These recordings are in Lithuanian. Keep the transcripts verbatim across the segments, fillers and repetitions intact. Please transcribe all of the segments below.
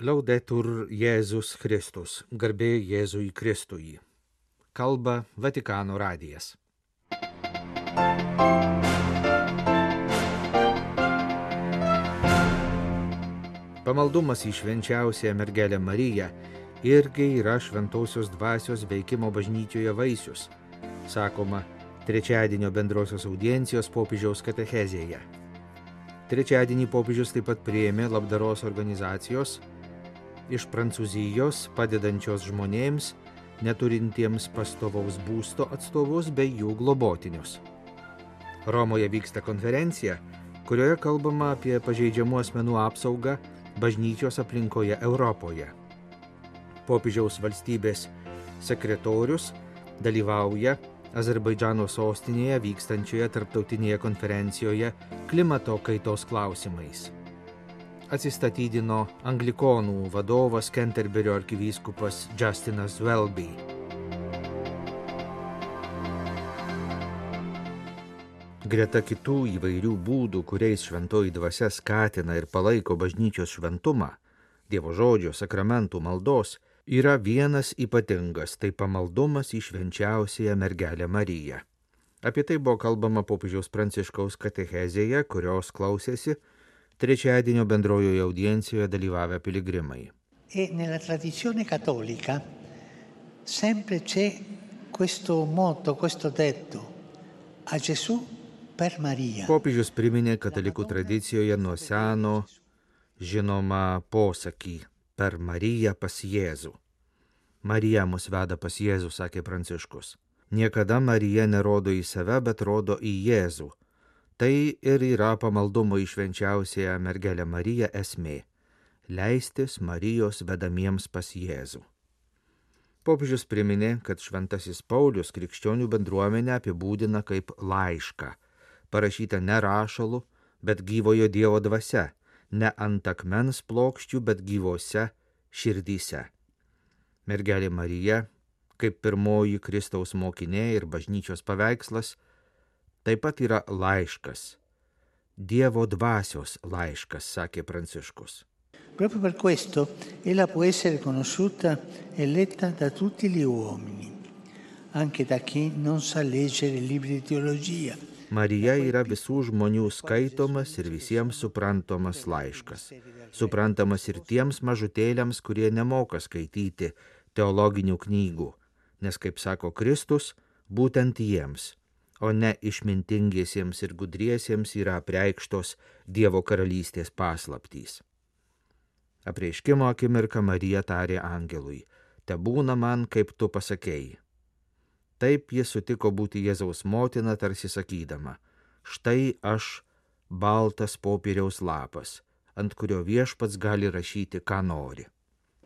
Laudetur Jėzus Kristus, garbė Jėzui Kristui. Kalba Vatikano radijas. Pamaldumas į švenčiausiąją mergelę Mariją irgi yra šventosios dvasios veikimo bažnyčioje vaisius, sakoma trečiadienio bendrosios audiencijos popiežiaus katechezėje. Trečiadienį popiežius taip pat priėmė labdaros organizacijos iš Prancūzijos padedančios žmonėms, neturintiems pastovaus būsto atstovus bei jų globotinius. Romoje vyksta konferencija, kurioje kalbama apie pažeidžiamų asmenų apsaugą bažnyčios aplinkoje Europoje. Popiežiaus valstybės sekretorius dalyvauja Azerbaidžano sostinėje vykstančioje tarptautinėje konferencijoje klimato kaitos klausimais. Atsistatydino anglikonų vadovas Kenterberio arkivyskupas Justinas Welby. Greta kitų įvairių būdų, kuriais šventoji dvasia skatina ir palaiko bažnyčios šventumą, Dievo žodžio, sakramentų, maldos, yra vienas ypatingas, tai pamaldumas į švenčiausiąją mergelę Mariją. Apie tai buvo kalbama popiežiaus Pranciškaus katechezėje, kurios klausėsi trečiadienio bendrojoje audiencijoje dalyvavę piligrimai. E nella tradizione cattolica sempre c'è questo motto, questo detto, a Gesù per Maria. Popiežius priminė katalikų tradicijoje nuo seno žinomą posakį per Mariją pas Jėzų. Marija mus veda pas Jėzų, sakė Pranciškus. Niekada Marija nerodo į save, bet rodo į Jėzų. Tai ir yra pamaldumo į švenčiausiąją mergelę Mariją esmė – leistis Marijos vedamiems pas Jėzų. Popiežius priminė, kad šventasis Paulius krikščionių bendruomenę apibūdina kaip laišką, parašytą ne rašalu, bet gyvojo Dievo dvasia, ne ant akmens plokščių, bet gyvose širdyse. Mergelė Marija, kaip pirmoji Kristaus mokinė ir bažnyčios paveikslas, taip pat yra laiškas, Dievo dvasios laiškas, sakė Pranciškus. Proprio per questo ella può essere conosciuta e letta da tutti gli uomini, anche da chi non sa leggere libri di teologia. Marija yra visų žmonių skaitomas ir visiems suprantamas laiškas. Suprantamas ir tiems mažutėliams, kurie nemoka skaityti teologinių knygų, nes, kaip sako Kristus, būtent jiems, o ne išmintingiesiems ir gudriesiems yra apreikštos Dievo karalystės paslaptys. Apreiškimo akimirką Marija tarė angelui, tebūna man, kaip tu pasakėjai. Taip jis sutiko būti Jėzaus motina, tarsi sakydama, štai aš baltas popieriaus lapas, ant kurio viešpats gali rašyti, ką nori.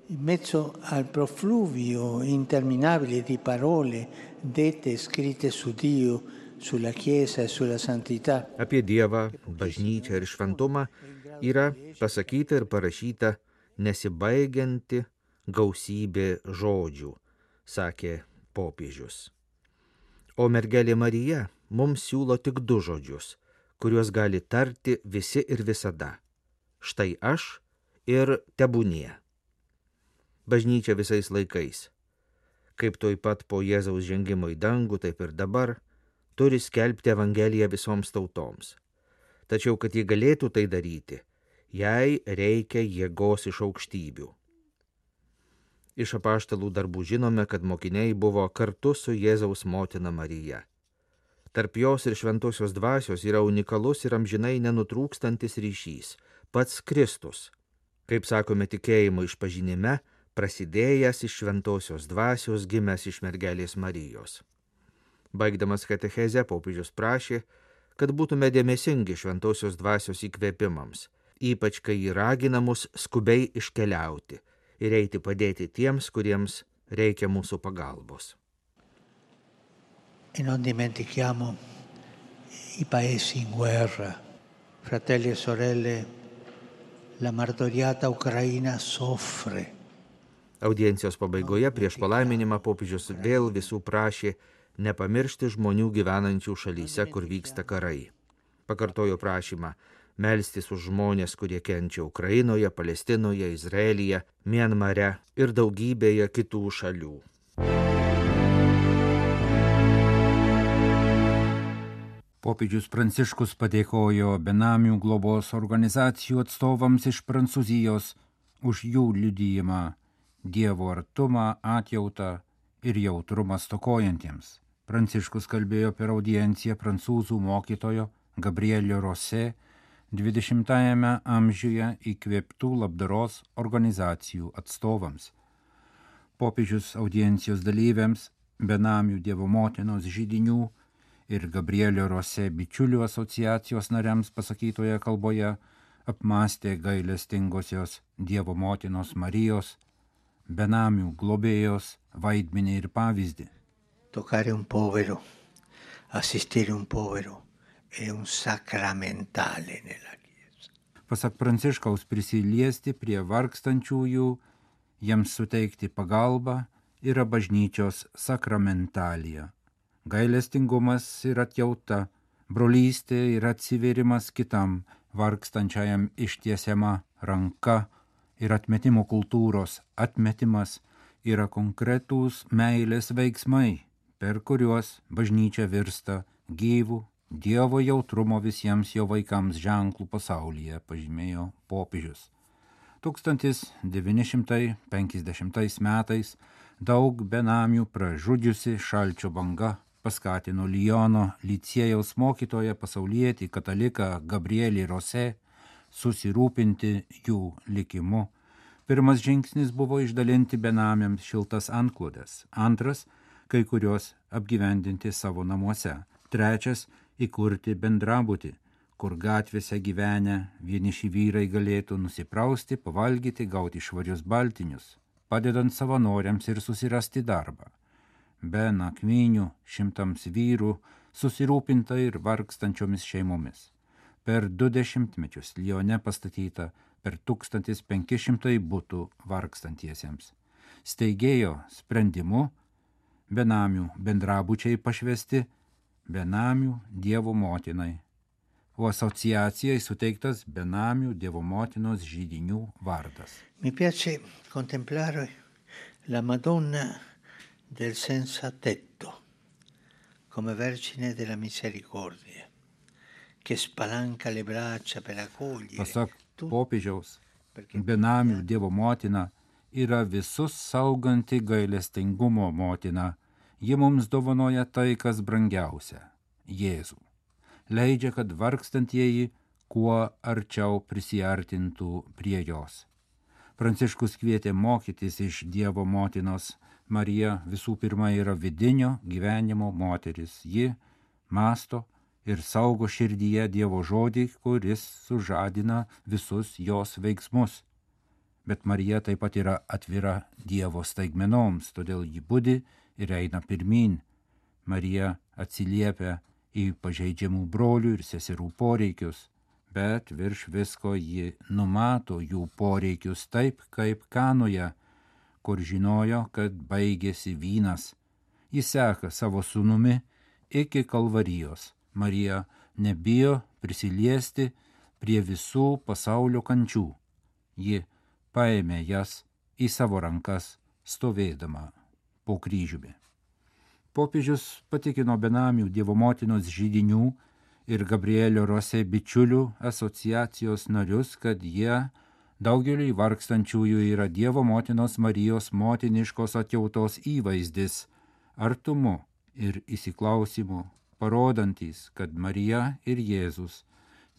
In mezzo al profluvio interminabile di parole dette e scritte su Dio, sulla Chiesa e sulla santità. Apie Dievą, bažnyčią ir šventumą yra pasakyta ir parašyta nesibaigianti gausybė žodžių, sakė popiežius. O mergelė Marija mums siūlo tik du žodžius, kuriuos gali tarti visi ir visada. Štai aš ir tebūnie. Bažnyčia visais laikais, kaip tuoj pat po Jėzaus žengimo į dangų, taip ir dabar, turi skelbti Evangeliją visoms tautoms. Tačiau, kad ji galėtų tai daryti, jai reikia jėgos iš aukštybių. Iš apaštalų darbų žinome, kad mokiniai buvo kartu su Jėzaus motina Marija. Tarp jos ir šventosios dvasios yra unikalus ir amžinai nenutrūkstantis ryšys, pats Kristus, kaip sakome tikėjimo išpažinime, prasidėjęs iš šventosios dvasios, gimęs iš mergelės Marijos. Baigdamas katechezę, popiežius prašė, kad būtume dėmesingi šventosios dvasios įkvėpimams, ypač kai jį ragina mus skubiai iškeliauti ir eiti padėti tiems, kuriems reikia mūsų pagalbos. E non dimentichiamo i paesi in guerra, fratelli e sorelle, la martoriata Ucraina soffre. Audiencijos pabaigoje prieš palaiminimą popiežius vėl visų prašė nepamiršti žmonių gyvenančių šalyse, kur vyksta karai. Pakartojo prašymą, melstis už žmonės, kurie kenčia Ukrainoje, Palestinoje, Izraelyje, Mianmare ir daugybėje kitų šalių. Popiežius Pranciškus padėkojo benamių globos organizacijų atstovams iš Prancūzijos už jų liudijimą, Dievo artumą, atjautą ir jautrumą stokojantiems. Pranciškus kalbėjo per audienciją prancūzų mokytojo Gabrielio Rosé dvidešimtajame amžiuje įkvėptų labdaros organizacijų atstovams. Popiežius audiencijos dalyviams, benamių Dievo motinos židinių ir Gabrielio Rosé bičiulių asociacijos nariams pasakytoje kalboje apmąstė gailestingosios Dievo motinos Marijos, benamių globėjos vaidmenį ir pavyzdį. Toccare un povero, assistere un povero è un sacramentale nella Chiesa. Pasak Pranciškaus, prisiliesti prie vargstančiųjų, jiems suteikti pagalbą yra bažnyčios sakramentalija. Gailestingumas ir atjauta, brolystė ir atsivėrimas kitam vargstančiajam ištiesiama ranka ir atmetimo kultūros atmetimas yra konkretūs meilės veiksmai, per kuriuos bažnyčia virsta gyvų Dievo jautrumo visiems jo vaikams ženklų pasaulyje, pažymėjo popiežius. tūkstantis devyni šimtai penkiasdešimtais metais daug benamių pražudžiusi šalčio banga paskatino Liono licėjaus mokytoją pasaulietį kataliką Gabrielį Rosé susirūpinti jų likimu. Pirmas žingsnis buvo išdalinti benamiams šiltas antklodes, antras – kai kurios apgyvendinti savo namuose, trečias – įkurti bendrabutį, kur gatvėse gyvenę vieniši vyrai galėtų nusiprausti, pavalgyti, gauti švarius baltinius, padedant savanoriams ir susirasti darbą. Be nakvynių šimtams vyrų susirūpinta ir vargstančiomis šeimomis. Per du dešimtmečius Lione pastatyta per tūkstantis penki šimtai butų vargstantiesiems. Steigėjo sprendimu benamių bendrabučiai pašvesti benamių Dievo motinai, o asociacijai suteiktas benamių Dievo motinos židinių vardas. Mi piace contemplare la Madonna del senza tetto come Vergine della Misericordia, che spalanca le braccia per accogliere. Pasak popiežiaus, benamių Dievo motina yra visus sauganti gailestingumo motina. Ji mums dovanoja tai, kas brangiausia – Jėzų. Leidžia, kad vargstantieji kuo arčiau prisiartintų prie jos. Pranciškus kvietė mokytis iš Dievo motinos. Marija visų pirma yra vidinio gyvenimo moteris. Ji mąsto ir saugo širdyje Dievo žodį, kuris sužadina visus jos veiksmus. Bet Marija taip pat yra atvira Dievo staigmenoms, todėl ji budi ir eina pirmyn. Marija atsiliepia į pažeidžiamų brolių ir seserų poreikius, bet virš visko ji numato jų poreikius taip, kaip Kanoje, kur žinojo, kad baigėsi vynas. Ji seka savo sūnumi iki Kalvarijos. Marija nebijo prisiliesti prie visų pasaulio kančių. Ji paėmė jas į savo rankas stovėdama po kryžiumi. Popiežius patikino benamių Dievo motinos židinių ir Gabrielio Rosé bičiulių asociacijos narius, kad jie daugeliui vargstančiųjų yra Dievo motinos Marijos motiniškos atjautos įvaizdis, artumu ir įsiklausimu, parodantys, kad Marija ir Jėzus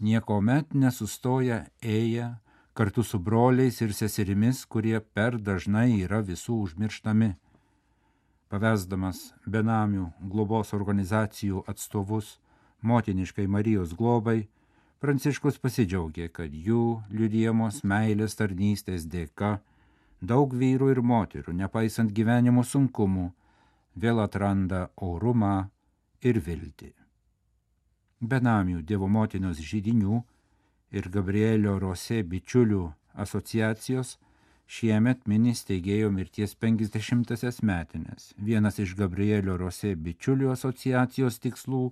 niekuomet nesustoja ėję kartu su broliais ir seserimis, kurie per dažnai yra visų užmirštami. Pavesdamas benamių globos organizacijų atstovus motiniškai Marijos globai, Pranciškus pasidžiaugė, kad jų liudijamos meilės tarnystės dėka daug vyrų ir moterų, nepaisant gyvenimo sunkumų, vėl atranda orumą ir viltį. Benamių Dievo motinos židinių ir Gabrielio Rosé bičiulių asociacijos šiemet mini steigėjo mirties penkiasdešimtąsias metines. Vienas iš Gabrielio Rosé bičiulių asociacijos tikslų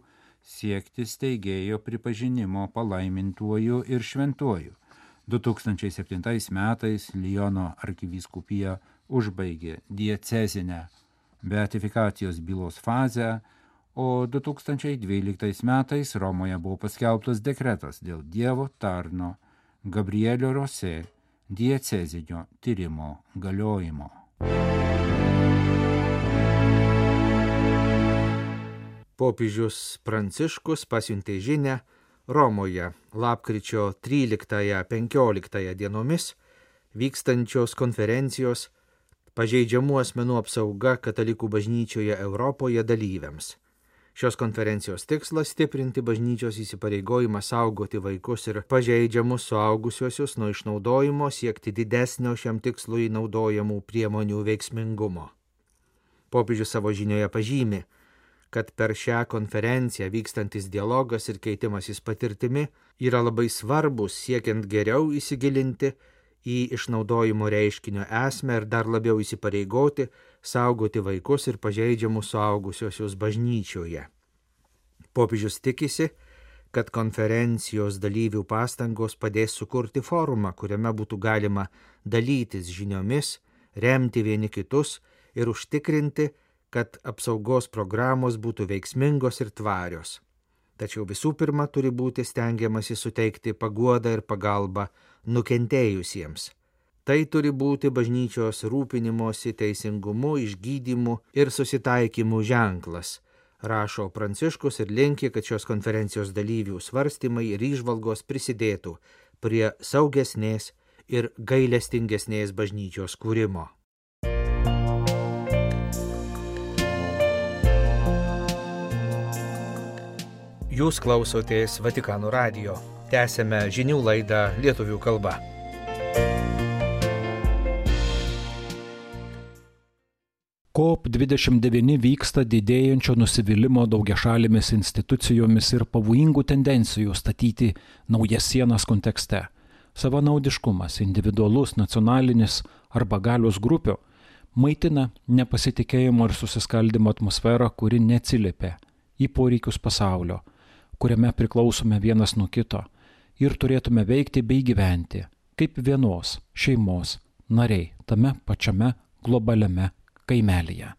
siekti steigėjo pripažinimo palaimintuoju ir šventuoju. du tūkstančiai septintais metais Liono arkivyskupija užbaigė diecezinę beatifikacijos bylos fazę, o du tūkstančiai dvyliktais metais Romoje buvo paskelbtas dekretas dėl Dievo tarno Gabrielio Rosė diecezinio tyrimo galiojimo. Popiežius Pranciškus pasiuntė žinią Romoje lapkričio tryliktąją-penkioliktąją dienomis vykstančios konferencijos pažeidžiamų asmenų apsauga katalikų bažnyčioje Europoje dalyviams. Šios konferencijos tikslas stiprinti bažnyčios įsipareigojimą saugoti vaikus ir pažeidžiamus suaugusiuosius nuo išnaudojimo, siekti didesnio šiam tikslui naudojamų priemonių veiksmingumo. Popiežius savo žinioje pažymi, kad per šią konferenciją vykstantis dialogas ir keitimasis patirtimi yra labai svarbus siekiant geriau įsigilinti į išnaudojimo reiškinio esmę ir dar labiau įsipareigoti saugoti vaikus ir pažeidžiamus suaugusiuosius bažnyčioje. Popiežius tikisi, kad konferencijos dalyvių pastangos padės sukurti forumą, kuriame būtų galima dalytis žiniomis, remti vieni kitus ir užtikrinti, kad apsaugos programos būtų veiksmingos ir tvarios. Tačiau visų pirma turi būti stengiamasi suteikti paguodą ir pagalbą nukentėjusiems. Tai turi būti bažnyčios rūpinimosi teisingumu, išgydymu ir susitaikymu ženklas, rašo Pranciškus ir linki, kad šios konferencijos dalyvių svarstymai ir įžvalgos prisidėtų prie saugesnės ir gailestingesnės bažnyčios kūrimo. Jūs klausotės Vatikano radijo. Tęsėme žinių laidą lietuvių kalba. COP dvidešimt devyni vyksta didėjančio nusivylimo daugiašalėmis institucijomis ir pavojingų tendencijų statyti naujas sienas kontekste. Savanaudiškumas, individualus, nacionalinis arba galios grupių maitina nepasitikėjimo ir susiskaldimo atmosferą, kuri neatsiliepia į poreikius pasaulio, kuriame priklausome vienas nuo kito ir turėtume veikti bei gyventi kaip vienos šeimos nariai tame pačiame globaliame kaimelyje.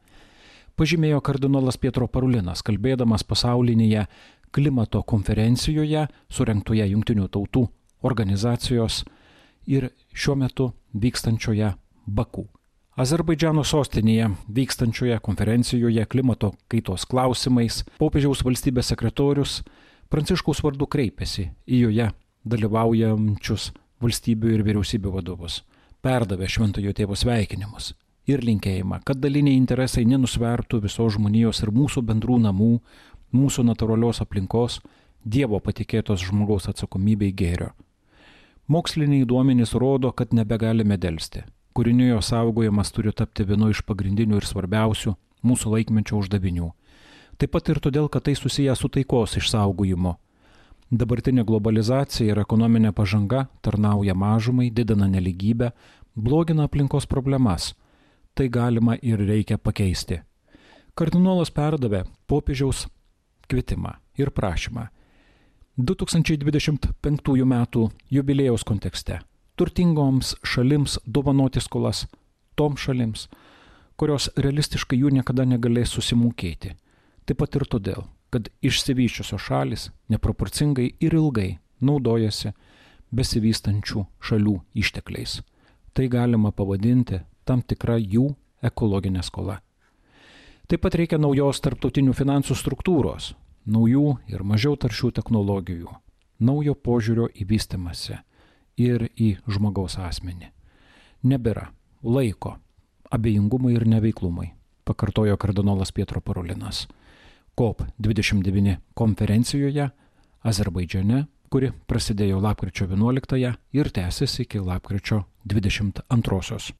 Pažymėjo kardinolas Pietro Parulinas, kalbėdamas pasaulinėje klimato konferencijoje surengtoje Jungtinių tautų organizacijos ir šiuo metu vykstančioje Baku. Azerbaidžano sostinėje vykstančioje konferencijoje klimato kaitos klausimais popiežiaus valstybės sekretorius Pranciškaus vardu kreipėsi į joje dalyvaujančius valstybių ir vyriausybių vadovus, perdavė šventojo tėvo sveikinimus ir linkėjimą, kad daliniai interesai nenusvertų visos žmonijos ir mūsų bendrų namų, mūsų natūralios aplinkos, Dievo patikėtos žmogaus atsakomybei gėrio. Moksliniai duomenys rodo, kad nebegalime delsti. Kūrinijos saugojimas turi tapti vienu iš pagrindinių ir svarbiausių mūsų laikmečio uždavinių. Taip pat ir todėl, kad tai susiję su taikos išsaugojimu. Dabartinė globalizacija ir ekonominė pažanga tarnauja mažumai, didina nelygybę, blogina aplinkos problemas. Tai galima ir reikia pakeisti. Kardinolas perdavė popiežiaus kvietimą ir prašymą du tūkstančiai dvidešimt penktųjų metų jubiliejaus kontekste turtingoms šalims dovanoti skolas toms šalims, kurios realistiškai jų niekada negalės susimokėti. Taip pat ir todėl, kad išsivysčiusios šalis neproporcingai ir ilgai naudojasi besivystančių šalių ištekliais. Tai galima pavadinti tam tikra jų ekologinė skola. Taip pat reikia naujos tarptautinių finansų struktūros, naujų ir mažiau taršių technologijų, naujo požiūrio į vystymąsi ir į žmogaus asmenį. Nebėra laiko abejingumui ir neveiklumui, pakartojo kardinolas Pietro Parulinas. COP dvidešimt devyni konferencijoje Azerbaidžane, kuri prasidėjo lapkričio vienuoliktąją ir tęsiasi iki lapkričio dvidešimt antrosios.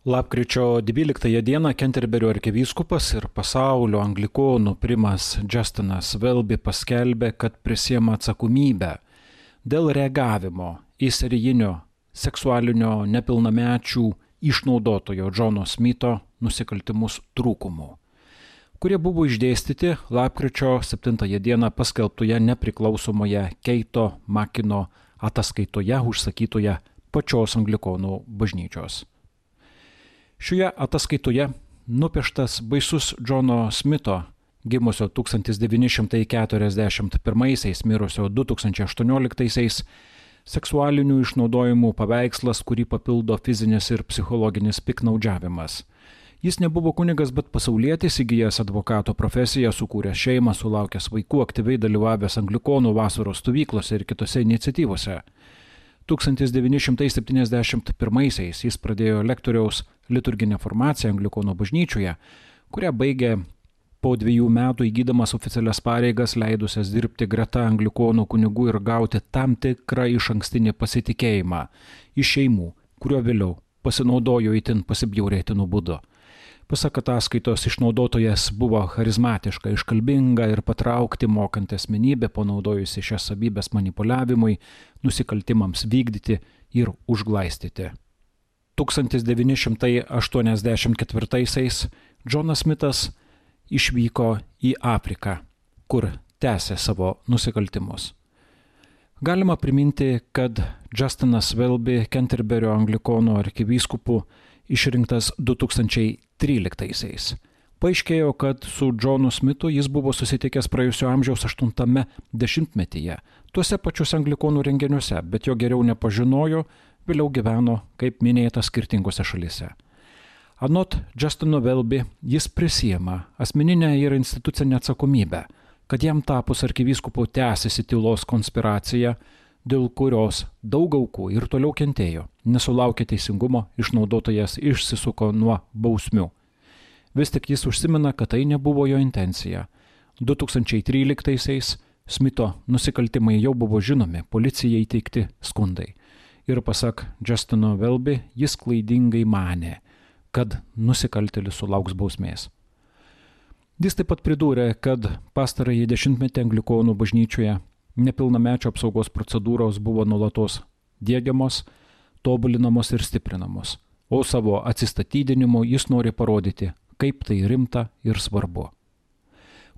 Lapkričio dvyliktąją dieną Kenterberio arkivyskupas ir pasaulio anglikonų primas Justinas Welby paskelbė, kad prisiema atsakomybę dėl reagavimo į serijinio seksualinio nepilnamečių išnaudotojo Džono Smito nusikaltimus trūkumų, kurie buvo išdėstyti lapkričio septintąją dieną paskelbtoje nepriklausomoje Keito Makino ataskaitoje užsakytoje pačios Anglikonų bažnyčios. Šioje ataskaitoje nupieštas baisus Džono Smito, gimusio tūkstantis devyni šimtai keturiasdešimt pirmaisiais, mirusio du tūkstančiai aštuonioliktaisiais, seksualinių išnaudojimų paveikslas, kurį papildo fizinis ir psichologinis piknaudžiavimas. Jis nebuvo kunigas, bet pasaulietis, įgijęs advokato profesiją, sukūręs šeimą, sulaukęs vaikų, aktyviai dalyvavęs Anglikonų vasaros stovyklose ir kitose iniciatyvose. tūkstantis devyni šimtai septyniasdešimt pirmaisiais jis pradėjo lektoriaus liturginę formaciją Anglikonų bažnyčioje, kurią baigė po dviejų metų įgydamas oficialias pareigas, leidusias dirbti greta Anglikonų kunigų ir gauti tam tikrą išankstinį pasitikėjimą iš šeimų, kuriuo vėliau pasinaudojo itin pasibjaurėtinų būdu. Pasak ataskaitos, išnaudotojas buvo charizmatiška, iškalbinga ir patraukti mokanti asmenybė, panaudojusi šias savybės manipuliavimui, nusikaltimams vykdyti ir užglaistyti. tūkstantis devyni šimtai aštuoniasdešimt ketvirtaisiais Džonas Smitas išvyko į Afriką, kur tęsė savo nusikaltimus. Galima priminti, kad Justinas Welby Kenterberio Anglikonų arkivyskupu išrinktas du tūkstančiai tryliktaisiais. Paaiškėjo, kad su Džonu Smitu jis buvo susitikęs praėjusio amžiaus aštuntame dešimtmetyje, tuose pačiuose Anglikonų renginiuose, bet jo geriau nepažinojo, vėliau gyveno, kaip minėta, skirtingose šalyse. Anot Justino Welby, jis prisiima asmeninę ir institucinę atsakomybę, kad jam tapus arkivyskupu tęsiasi tylos konspiracija, dėl kurios daug aukų ir toliau kentėjo, nesulaukė teisingumo, išnaudotojas išsisuko nuo bausmių. Vis tik jis užsimena, kad tai nebuvo jo intencija. du tūkstančiai tryliktaisiais Smito nusikaltimai jau buvo žinomi, policijai teikti skundai. Ir pasak Justino Welby, jis klaidingai manė, kad nusikaltėlis sulauks bausmės. Jis taip pat pridūrė, kad pastarąjį dešimtmetį Anglikonų bažnyčioje nepilnamečio apsaugos procedūros buvo nuolatos diegiamos, tobulinamos ir stiprinamos, o savo atsistatydinimu jis nori parodyti, kaip tai rimta ir svarbu.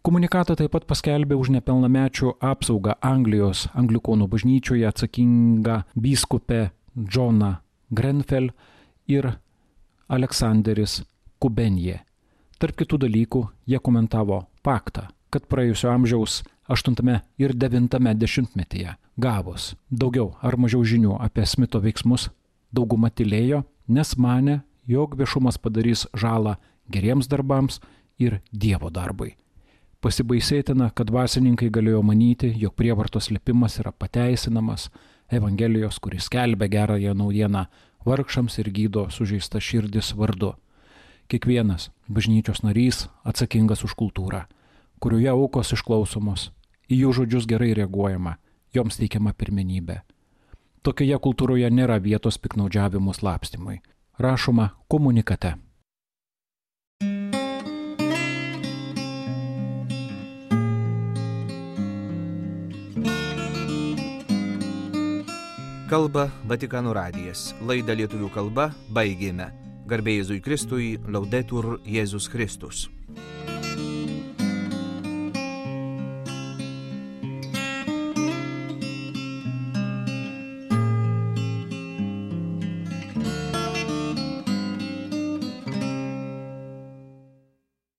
Komunikatą taip pat paskelbė už nepilnamečių apsaugą Anglijos Anglikonų bažnyčioje atsakinga vyskupė Džona Grenfell ir Aleksanderis Kubenje. Tarp kitų dalykų jie komentavo faktą, kad praėjusio amžiaus aštuntame ir devintame dešimtmetyje gavus daugiau ar mažiau žinių apie Smito veiksmus, dauguma tylėjo, nes manė, jog viešumas padarys žalą geriems darbams ir Dievo darbui. Pasibaisėtina, kad dvasininkai galėjo manyti, jog prievartos slėpimas yra pateisinamas, Evangelijos, kuris skelbia gerąją naujieną vargšams ir gydo sužeistą širdis vardu. Kiekvienas bažnyčios narys atsakingas už kultūrą, kurioje aukos išklausomos, į jų žodžius gerai reaguojama, joms teikiama pirmenybė. Tokioje kultūroje nėra vietos piknaudžiavimų slapstymui. Rašoma komunikate. Kalba Vatikano radijas. Laidą lietuvių kalba baigėme. Garbė Jėzui Kristui, Laudetur Jėzus Kristus.